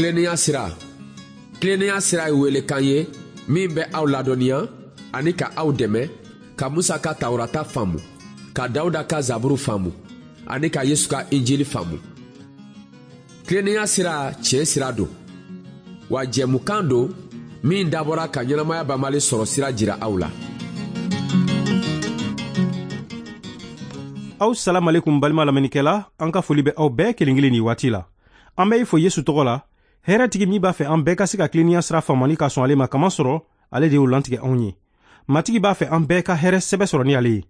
Tilennenya sira. Tilennenya sira ye welekan ye min bɛ aw ladɔnniya ani ka aw dɛmɛ ka Musa ka Tawurata faamu, ka Dawuda ka Zaburu faamu ani ka Yesu ka Injili faamu. Tilennenya sira tiɲɛ sira don, wa jɛmukan don min dabɔra ka ɲɛnamaya banbali sɔrɔ sira jira aw la. Aw salamalekum balima lamɛnnikɛla, an ka foli bɛ aw bɛɛ kelen kelen nin waati la. An bɛ i fo Yesu tɔgɔ la, hɛrɛtigi min b'a fɛ an bɛɛ ka se ka tilennenya sira faamu ani ka sɔn ale ma, kamasɔrɔ ale de y'o lantigɛ anw ye. Matigi b'a fɛ an bɛɛ ka hɛrɛ sɛbɛ sɔrɔ ni ale ye.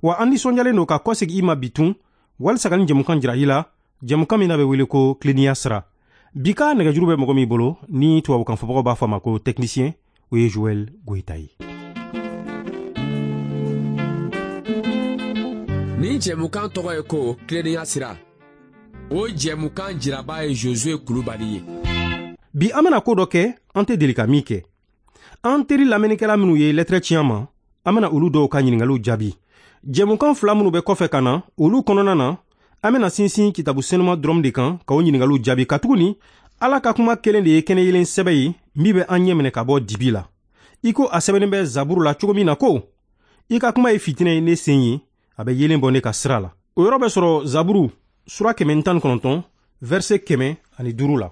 Wa an nisɔndiyalen don ka kɔsegin i ma bi tun, walisa ka nin jɛmukan jira i la, jɛmukan min n'a bɛ wele ko tilennenya sira. Bi ka nɛgɛjuru bɛ mɔgɔ min bolo, ni tubabukan fɔbagaw b'a fɔ a ma ko technicien, o ye Joël Goyita ye. Nin jɛmukan tɔgɔ ye ko tilennenya sira. O jɛmukan jiraba ye Josue Kulubali ye. Bi an bɛna ko dɔ kɛ, an tɛ deli ka min kɛ. An teri lamɛnnikɛla minnu ye lɛtɛrɛ ci an ma, an bɛna olu dɔw ka ɲininkaliw jaabi. Jɛmukan fila minnu bɛ kɔfɛ ka na, olu kɔnɔna na, an bɛna sinsin kitabu senuma dɔrɔn de kan ka o ɲininkaliw jaabi, katuguni Ala ka kuma kelen de ye kɛnɛ yelen sɛbɛ ye min bɛ an ɲɛ minɛ ka bɔ dibi la. I ko a sɛbɛnnen bɛ Zaburu la cogo min na ko, i ka kuma ye fitinɛ ye ne sen ye, a bɛ yeelen bɔ ne ka sira la. O yɔrɔ bɛ sɔrɔ Zaburu sura 119, verset 105 la.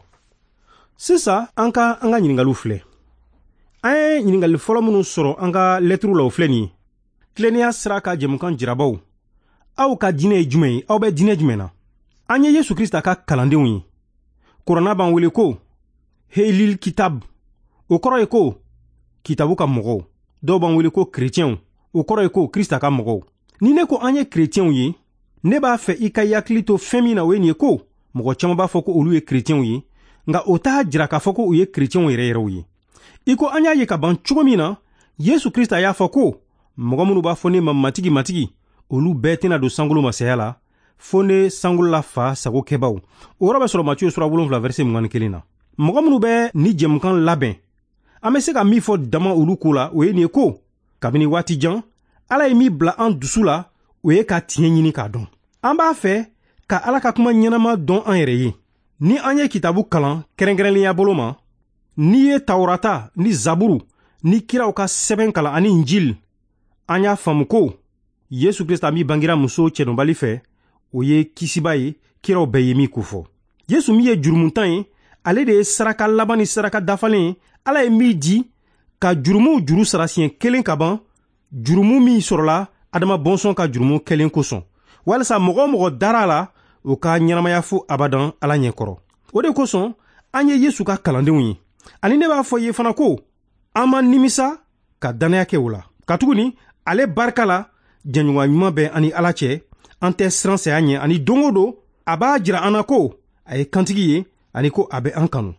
Sisan an ka an ka ɲininkaliw filɛ. An ye ɲininkali fɔlɔ minnu sɔrɔ an ka lɛtiriw la, o filɛ nin ye. Tilennenya sira ka jɛmukan jirabaw, aw ka diinɛ ye jumɛn ye? Aw bɛ diinɛ jumɛn na? An ye Yesu Krista ka kalandenw ye. Kuranna b'an wele ko Helil Kitab, o kɔrɔ ye ko kitabu ka mɔgɔw. Dɔw b'an wele ko kerecɛnw, o kɔrɔ ye ko Krista ka mɔgɔw. Ni ne ko an ye kerecɛnw ye, ne b'a fɛ i ka hakili to fɛn min na, o ye nin ye ko mɔgɔ caman b'a fɔ ko olu ye kerecɛnw ye, nka o t'a jira k'a fɔ ko u ye kerecɛnw yɛrɛ yɛrɛw ye. I ko an y'a ye ka ban cogo min na, Yesu Krista y'a fɔ ko mɔgɔ minnu b'a fɔ ne ma Matigi, Matigi, olu bɛɛ tɛna don sankolo masaya la, fo ne sankolola fa sago kɛbaw. O yɔrɔ bɛ sɔrɔ Matiyu sura 7 verset 21 na. Mɔgɔ minnu bɛ ni jɛmukan labɛn, an bɛ se ka min fɔ dama olu ko la, o ye nin ye ko kabini waati jan, Ala ye min bila an dusu la, o ye ka tiɲɛ ɲini k'a dɔn. An b'a fɛ ka Ala ka kuma ɲɛnama dɔn an yɛrɛ ye. Ni an ye kitabu kalan kɛrɛnkɛrɛnnenya bolo ma, n'i ye Tawurata ni Zaburu ni kiraw ka sɛbɛn kalan ani Injil, an y'a faamu ko Yesu Krista min bangira muso cɛdɔnbali fɛ, o ye kisiba ye, kiraw bɛɛ ye min kofɔ. Yesu min ye jurumuntan ye, ale de ye saraka laban ni saraka dafalen ye, Ala ye min di ka jurumuw juru sara siɲɛ kelen ka ban, jurumu min sɔrɔla Adama bɔnsɔn ka jurumu kɛlen kosɔn, walisa mɔgɔ o mɔgɔ dara a la, o ka ɲɛnamaya fo abadan Ala ɲɛkɔrɔ. O de kosɔn an ye Yesu ka kalandenw ye. Ani ne b'a fɔ i ye fana ko an ma nimisa ka dannaya kɛ o la, katuguni ale barika la jɛɲɔgɔnya ɲuman bɛ an ni Ala cɛ, an tɛ siran saya ɲɛ, ani don o don a b'a jira an na ko a ye kantigi ye ani ko a bɛ an kanu.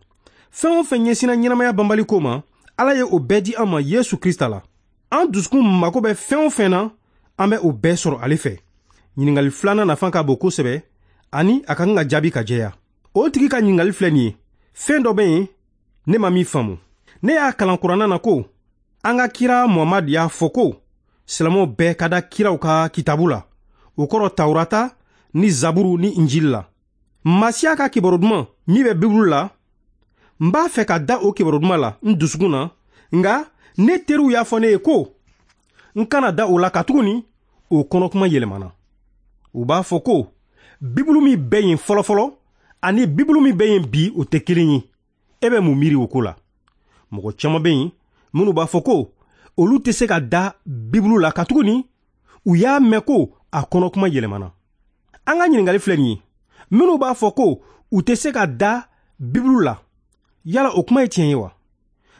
Fɛn o fɛn ɲɛsinna ɲɛnamaya banbali ko ma, Ala ye o bɛɛ di an ma Yesu Krista la. An dusukun mako bɛ fɛn o fɛn na, an bɛ o bɛɛ sɔrɔ ale fɛ. Ɲininkali filanan nafa ka bon kosɛbɛ, ani a ka kan ka jaabi ka jɛya. O tigi ka ɲininkali filɛ nin ye: fɛn dɔ bɛ yen ne ma min faamu. Ne y'a kalan kuranna na ko an ka kira Muhamadu y'a fɔ ko silamɛw bɛɛ ka da kiraw ka kitabu la, o kɔrɔ Tawurata ni Zaburu ni Injili la. Masiya ka kibaru duman min bɛ Bibulu la, n b'a fɛ ka da o kibaru duman la n dusukun na, nka ne teriw y'a fɔ ne ye ko n kana da o la, katuguni o kɔnɔkuma yɛlɛmana. U b'a fɔ ko Bibulu min bɛ yen fɔlɔfɔlɔ ani Bibulu min bɛ yen bi, o tɛ kelen ye. E bɛ mun miiri o ko la? Mɔgɔ caman bɛ yen minnu b'a fɔ ko olu tɛ se ka da Bibulu la, katuguni u y'a mɛn ko a kɔnɔkuma yɛlɛmana. An ka ɲininkali filɛ nin ye: minnu b'a fɔ ko u tɛ se ka da Bibulu la, yala o kuma ye tiɲɛ ye wa?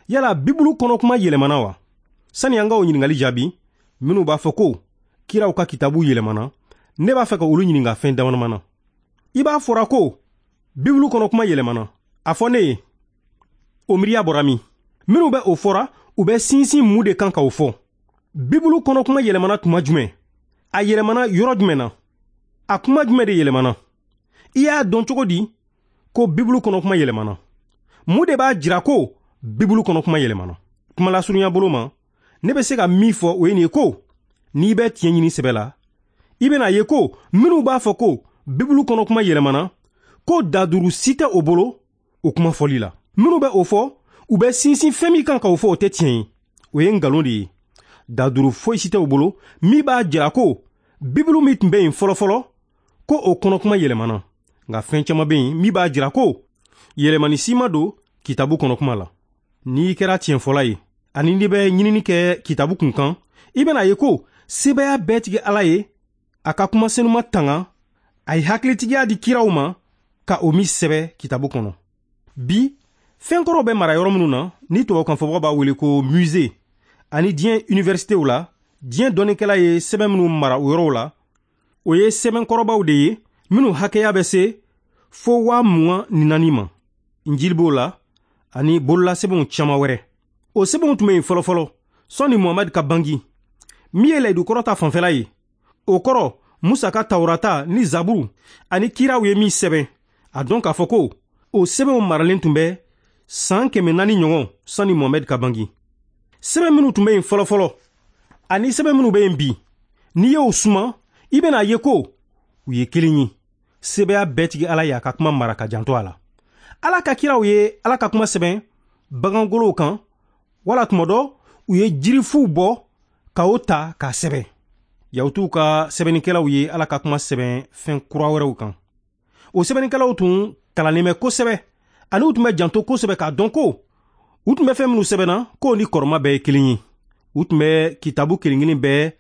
Yala Bibulu kɔnɔkuma yɛlɛmana wa? Sani an ka o ɲininkali jaabi, minnu b'a fɔ ko kiraw ka kitabu yɛlɛmana, ne b'a fɛ ka olu ɲininka fɛn dama na. I b'a fɔra ko Bibulu kɔnɔkuma yɛlɛmana, a fɔ ne ye, o miiriya bɔra min? Minnu bɛ o fɔra, u bɛ sinsin mun de kan k'o fɔ? Bibulu kɔnɔkuma yɛlɛmana tuma jumɛn? A yɛlɛmana yɔrɔ jumɛn na? A kuma jumɛn de yɛlɛmana? I y'a dɔn cogo di ko Bibulu kɔnɔkuma yɛlɛmana? Mun de b'a jira ko Bibulu kɔnɔkuma yɛlɛmana? Kuma lasurunya bolo ma, ne bɛ se ka min fɔ o ye nin ye ko n'i bɛ tiɲɛ ɲini sɛbɛ la, i bɛna ye ko minnu b'a fɔ ko Bibulu kɔnɔkuma yɛlɛmana, ko daduru si tɛ o bolo, o kuma fɔli la. Minnu bɛ o fɔ, u bɛ sinsin fɛn min kan k'o fɔ, o tɛ tiɲɛ ye, o ye nkalon de ye. Daduru foyi si tɛ u bolo min b'a jira ko Bibulu min tun bɛ yen fɔlɔfɔlɔ, ko o kɔnɔkuma yɛlɛmana. Nka fɛn caman bɛ yen min b'a jira ko yɛlɛmani si ma don kitabu kɔnɔkuma la. N'i kɛra tiɲɛfɔla ye ani n'i bɛ ɲinini kɛ kitabu kun kan, i bɛna ye ko sebaaya bɛɛ tigi Ala ye a ka kuma senuma tanga, a ye hakilitigiya di kiraw ma ka o min sɛbɛ kitabu kɔnɔ. Bi, fɛn kɔrɔw bɛ mara yɔrɔ minnu na, ni tubabukanfɔbagaw b'a wele ko musée, ani diɲɛ universitéw la, diɲɛ dɔnnikɛla ye sɛbɛn minnu mara o yɔrɔw la, o ye sɛbɛn kɔrɔbaw de ye minnu hakɛya bɛ se fo 24,000 ma. Njili b'o la ani bololasɛbɛnw caman wɛrɛ. O sɛbɛnw tun bɛ yen fɔlɔfɔlɔ sɔnni Muhamadu ka bangi. Min ye layidu kɔrɔ ta fanfɛla ye, o kɔrɔ Musa ka Tawurata ni Zaburu ani kiraw ye min sɛbɛn, a dɔn k'a fɔ ko o sɛbɛnw maralen tun bɛ san 400 ɲɔgɔn sani Muhamadu ka bangi. Sɛbɛn minnu tun bɛ yen fɔlɔfɔlɔ ani sɛbɛn minnu bɛ yen bi, n'i y'o suma, i bɛna ye ko u ye kelen ye. Sebaaya bɛɛ tigi Ala y'a ka kuma mara ka janto a la. Ala ka kiraw ye Ala ka kuma sɛbɛn bagangolow kan, wala tuma dɔ u ye jirifuw bɔ ka o ta k'a sɛbɛn. Yahutuw ka sɛbɛnnikɛlaw ye Ala ka kuma sɛbɛn fɛn kura wɛrɛw kan. O sɛbɛnnikɛlaw tun kalannen bɛ kosɛbɛ ani u tun bɛ janto kosɛbɛ k'a dɔn ko u tun bɛ fɛn minnu sɛbɛnna, k'o ni kɔrɔma bɛɛ ye kelen ye. U tun bɛ kitabu kelen kelen bɛɛ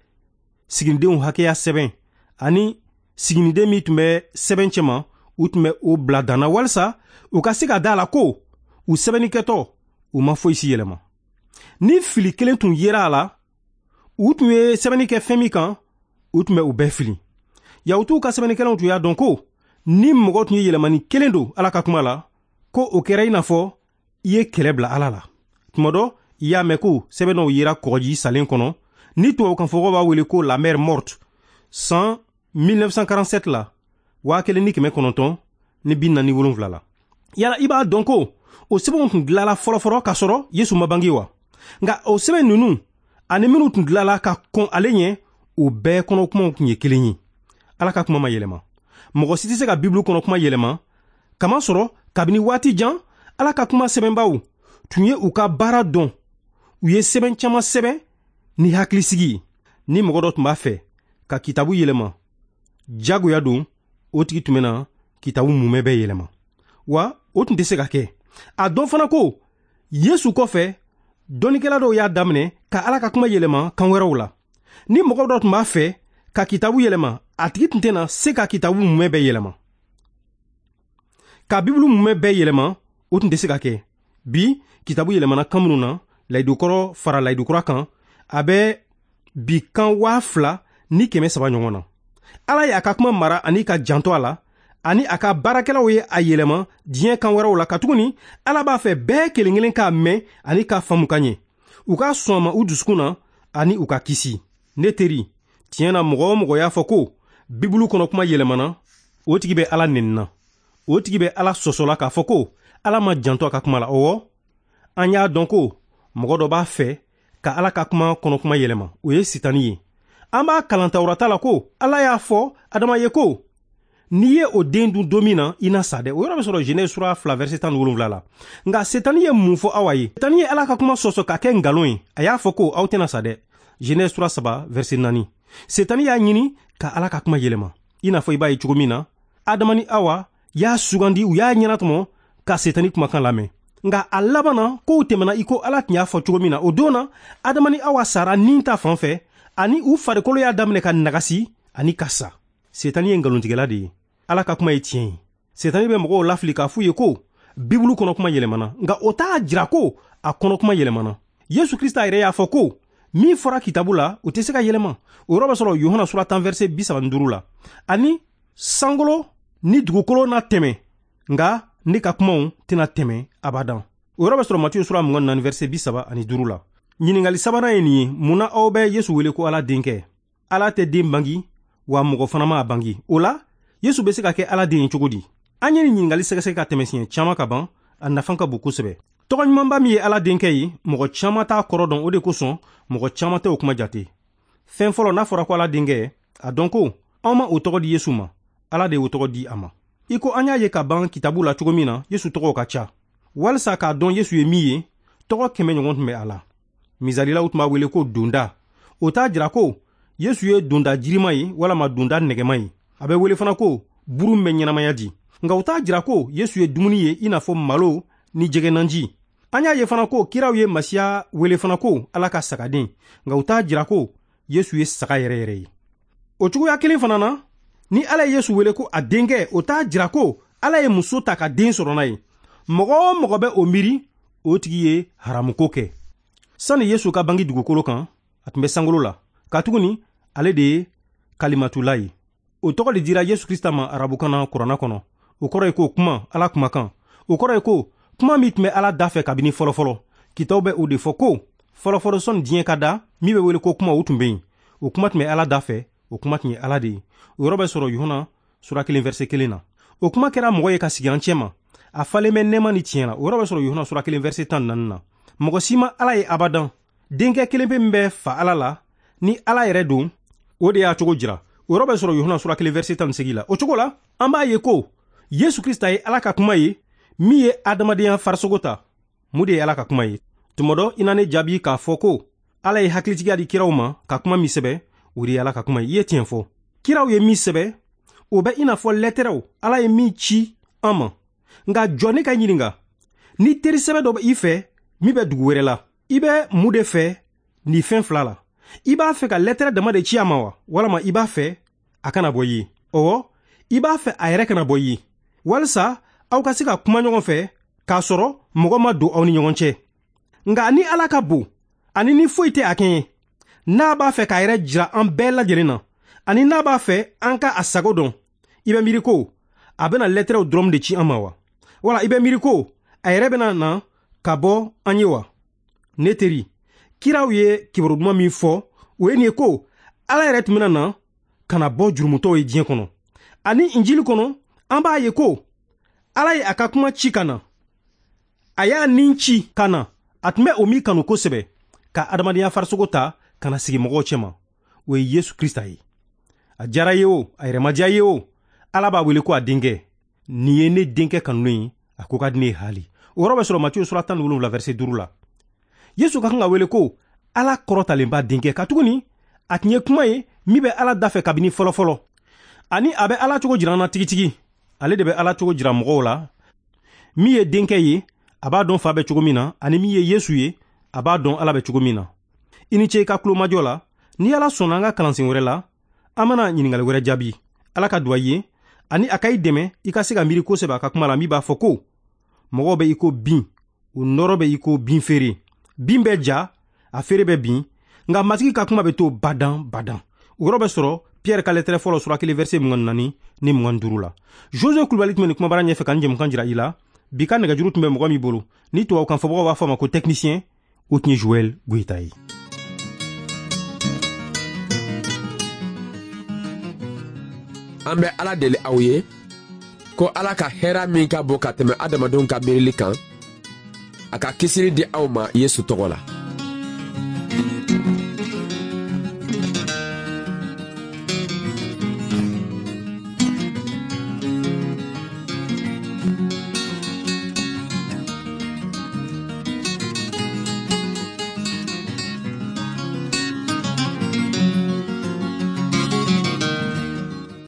siginidenw hakɛya sɛbɛn, ani siginiden min tun bɛ sɛbɛn cɛma, u tun bɛ o bila danna walisa u ka se ka da a la ko u sɛbɛnnikɛtɔ u ma foyi si yɛlɛma. Ni fili kelen tun yera a la, u tun ye sɛbɛnni kɛ fɛn min kan, u tun bɛ u bɛɛ fili. Yahutuw ka sɛbɛnnikɛlaw tun y'a dɔn ko ni mɔgɔ tun ye yɛlɛmani kelen don Ala ka kuma la, ko o kɛra i n'a fɔ i ye kɛlɛ bila Ala la. Tuma dɔ i y'a mɛn ko sɛbɛn dɔw yera kɔgɔji salen kɔnɔ, ni tubabukanfɔbagaw b'a wele ko la mer Morte, san 1947 la, 1947 la. Yala i b'a dɔn ko o sɛbɛnw tun dilanla fɔlɔfɔlɔ k'a sɔrɔ Yesu ma bange wa? Nka o sɛbɛn ninnu ani minnu tun dilanla ka kɔn ale ɲɛ, o bɛɛ kɔnɔ kumaw tun ye kelen ye. Ala ka kuma ma yɛlɛma. Mɔgɔ si tɛ se ka Bibulu kɔnɔ kuma yɛlɛma, kamasɔrɔ kabini waati jan Ala ka kuma sɛbɛnbaw tun ye u ka baara dɔn. U ye sɛbɛn caman sɛbɛn ni hakilisigi ye. Ni mɔgɔ dɔ tun b'a fɛ ka kitabu yɛlɛma jagoya don, o tigi tun bɛna kitabu mumɛ bɛɛ yɛlɛma wa? O tun tɛ se ka kɛ. A dɔn fana ko Yesu kɔfɛ, dɔnnikɛla dɔw y'a daminɛ ka Ala ka kuma yɛlɛma kan wɛrɛw la. Ni mɔgɔ dɔ tun b'a fɛ ka kitabu yɛlɛma, a tigi tun tɛna se ka kitabu mumɛ bɛɛ yɛlɛma. Ka Bibulu mumɛ bɛɛ yɛlɛma, o tun tɛ se ka kɛ. Bi, kitabu yɛlɛmana kan minnu na, layidukɔrɔ fara layidukura kan, a bɛ bi kan 2300 ɲɔgɔn na. Ala ye a ka kuma mara ani ka janto a la, ani a ka baarakɛlaw ye a yɛlɛma diɲɛ kan wɛrɛw la, katuguni Ala b'a fɛ bɛɛ kelen kelen k'a mɛn ani k'a faamu ka ɲɛ, u ka sɔn a ma u dusukun na ani u ka kisi. Ne teri, tiɲɛ na, mɔgɔ o mɔgɔ y'a fɔ ko Bibulu kɔnɔ kuma yɛlɛmana, o tigi bɛ Ala nenina, o tigi bɛ Ala sɔsɔla k'a fɔ ko Ala ma janto a ka kuma la. Ɔwɔ, an y'a dɔn ko mɔgɔ dɔ b'a fɛ ka Ala ka kuma kɔnɔ kuma yɛlɛma, o ye Sitani ye. An b'a kalan Tawurata la ko Ala y'a fɔ Adama ye ko n'i ye o den dun don min na, i na sa dɛ. O yɔrɔ bɛ sɔrɔ Genèse sura 2 verset 17 la. Nka Setani ye mun fɔ Awa ye? Setani ye Ala ka kuma sɔsɔ ka kɛ nkalon ye. A y'a fɔ ko aw tɛna sa dɛ, Genèse sura 3 verset 4. Setani y'a ɲini ka Ala ka kuma yɛlɛma. I n'a fɔ i b'a ye cogo min na, Adama ni Awa y'a sugandi, u y'a ɲɛnatɔmɔ ka Setani kumakan lamɛn. Nka a laban na, kow tɛmɛna i ko Ala tun y'a fɔ cogo min na. O don na, Adama ni Awa sara nin ta fan fɛ, ani u farikolo y'a daminɛ ka nagasi ani ka sa. Setani ye nkalontigɛla de ye, Ala ka kuma ye tiɲɛ ye. Setani bɛ mɔgɔw lafili k'a f'u ye ko Bibulu kɔnɔ kuma yɛlɛmana, nka o t'a jira ko a kɔnɔ kuma yɛlɛmana. Yesu Krista yɛrɛ y'a fɔ ko min fɔra kitabu la, o tɛ se ka yɛlɛma. O yɔrɔ bɛ sɔrɔ Yohana sura 10 verset 35 la. Ani sankolo ni dugukolo na tɛmɛ, nka ne ka kumaw tɛna tɛmɛ abadan. O yɔrɔ bɛ sɔrɔ Matiyu sura 24 verset 35 la. Ɲininkali sabanan ye nin ye: mun na aw bɛ Yesu wele ko Ala denkɛ? Ala tɛ den bangi, wa mɔgɔ fana ma a bangi. O la, Yesu bɛ se ka kɛ Ala den ye cogo di? An ye nin ɲininkali sɛgɛsɛgɛ ka tɛmɛ siɲɛ caman ka ban. A nafa ka bon kosɛbɛ. Tɔgɔ ɲumanba min ye Ala denkɛ ye, mɔgɔ caman t'a kɔrɔ dɔn. O de kosɔn mɔgɔ caman tɛ o kuma jate. Fɛn fɔlɔ, n'a fɔra ko Ala denkɛ, a dɔn ko anw ma o tɔgɔ di Yesu ma, Ala de y'o tɔgɔ di a ma. I ko an y'a ye ka ban kitabu la cogo min na, Yesu tɔgɔw ka ca. Walisa k'a dɔn Yesu ye min ye, tɔgɔ 100 ɲɔgɔn tun bɛ a la. Misali la, u tun b'a wele ko donda. O t'a jira ko Yesu ye donda jirima ye walama donda nɛgɛma ye. A bɛ wele fana ko buru min bɛ ɲɛnamaya di. Nka o t'a jira ko Yesu ye dumuni ye i n'a fɔ malo ni jɛgɛnaji. An y'a ye fana ko kiraw ye Masiya wele fana ko Ala ka sagaden. Nka o t'a jira ko Yesu ye saga yɛrɛ yɛrɛ ye. O cogoya kelen fana na, ni Ala ye Yesu wele ko a denkɛ, o t'a jira ko Ala ye muso ta ka den sɔrɔ n'a ye. Mɔgɔ o mɔgɔ bɛ o miiri, o tigi ye haramuko kɛ. Sani Yesu ka bange dugukolo kan, a tun bɛ sankolo la. Katuguni ale de ye Kalimatula ye. O tɔgɔ de dira Yesu Krista ma arabukan na kuranna kɔnɔ. O kɔrɔ ye ko kuma, Ala kumakan. O kɔrɔ ye ko kuma min tun bɛ Ala da fɛ kabini fɔlɔfɔlɔ. Kitaw bɛ o de fɔ ko fɔlɔfɔlɔ sɔnni diɲɛ ka da, min bɛ wele ko kuma, o tun bɛ yen. O kuma tun bɛ Ala da fɛ, o kuma tun ye Ala de ye. O yɔrɔ bɛ sɔrɔ Yohana sura 1 verset 1 na. O kuma kɛra mɔgɔ ye ka sigi an cɛma. A falen bɛ nɛɛma ni tiɲɛ la. O yɔrɔ bɛ sɔrɔ Yohana sura 1 verset 14 na. Mɔgɔ si ma Ala ye abadan. Denkɛ kelen pe min bɛ fa Ala la, ni Ala yɛrɛ don, o de y'a cogo jira. O yɔrɔ bɛ sɔrɔ Yohana sura 1 verset 18 la. O cogo la, an b'a ye ko Yesu Krista ye Ala ka kuma ye, min ye adamadenya farisogo ta. Mun de ye Ala ka kuma ye? Tuma dɔ i na ne jaabi k'a fɔ ko Ala ye hakilitigiya di kiraw ma ka kuma min sɛbɛ, o de ye Ala ka kuma ye. I ye tiɲɛ fɔ. Kiraw ye min sɛbɛ, o bɛ i n'a fɔ lɛtɛrɛw Ala ye min ci an ma. Nka jɔ ne ka ɲininka, ni teri sɛbɛ dɔ bɛ i fɛ min bɛ dugu wɛrɛ la, i bɛ mun de fɛ nin fɛn fila la? I b'a fɛ ka lɛtɛrɛ dama de ci a ma wa, walama i b'a fɛ a kana bɔ i ye? Ɔwɔ, i b'a fɛ a yɛrɛ kana bɔ i ye, walisa aw ka se ka kuma ɲɔgɔn fɛ k'a sɔrɔ mɔgɔ ma don aw ni ɲɔgɔn cɛ. Nka ni Ala ka bon, ani ni foyi tɛ a kɛɲɛ, n'a b'a fɛ k'a yɛrɛ jira an bɛɛ lajɛlen na, ani n'a b'a fɛ an ka a sago dɔn, i bɛ miiri ko a bɛna lɛtɛrɛw dɔrɔn de ci an ma wa? Wala i bɛ miiri ko a yɛrɛ bɛna na ka bɔ an ye wa? Ne teri, kiraw ye kibaru duman min fɔ, o ye nin ye ko Ala yɛrɛ tun bɛna na ka na bɔ jurumutɔw ye diɲɛ kɔnɔ. Ani Injili kɔnɔ, an b'a ye ko Ala ye a ka kuma ci ka na. A y'a nin ci ka na. A tun bɛ o min kanu kosɛbɛ, ka adamadenya farisogo ta ka na sigi mɔgɔw cɛma. O ye Yesu Krista ye. A diyara ye o, a yɛrɛ ma diya ye o, Ala b'a wele ko a denkɛ. Nin ye ne denkɛ kanunen ye, a ko ka di ne ye haali. O yɔrɔ bɛ sɔrɔ Matiyu sura 17 verset 5 la. Yesu ka kan ka wele ko Ala kɔrɔtalenba denkɛ, katuguni a tun ye kuma ye min bɛ Ala da fɛ kabini fɔlɔfɔlɔ. Ani a bɛ Ala cogo jira an na tigitigi. Ale de bɛ Ala cogo jira mɔgɔw la. Min ye denkɛ ye, a b'a dɔn fa bɛ cogo min na, ani min ye Yesu ye, a b'a dɔn Ala bɛ cogo min na. I ni ce i ka tulomajɔ la. Ni Ala sɔnna an ka kalansen wɛrɛ la, an bɛna ɲininkali wɛrɛ jaabi. Ala ka duwa i ye, ani a ka i dɛmɛ i ka se ka miiri kosɛbɛ a ka kuma la min b'a fɔ ko mɔgɔw bɛ i ko bin, u nɔrɔ bɛ i ko bin feere. Bin bɛ ja, a feere bɛ bin, nka Matigi ka kuma bɛ to badan badan. O yɔrɔ bɛ sɔrɔ Pierre ka lɛtɛrɛ fɔlɔ sura 1 verset 24 ni 25 la. José Kulubali tun bɛ nin kumabara ɲɛfɛ ka nin jɛmukan jira i la. Bi ka nɛgɛjuru tun bɛ mɔgɔ min bolo, ni tubabukan fɔbagaw b'a fɔ a ma ko technicien, o tun ye Joël Goyita ye. An bɛ Ala deli aw ye ko Ala ka hɛra min ka bon ka tɛmɛ adamadenw ka miirili kan, a ka kisili di aw ma Yesu tɔgɔ la.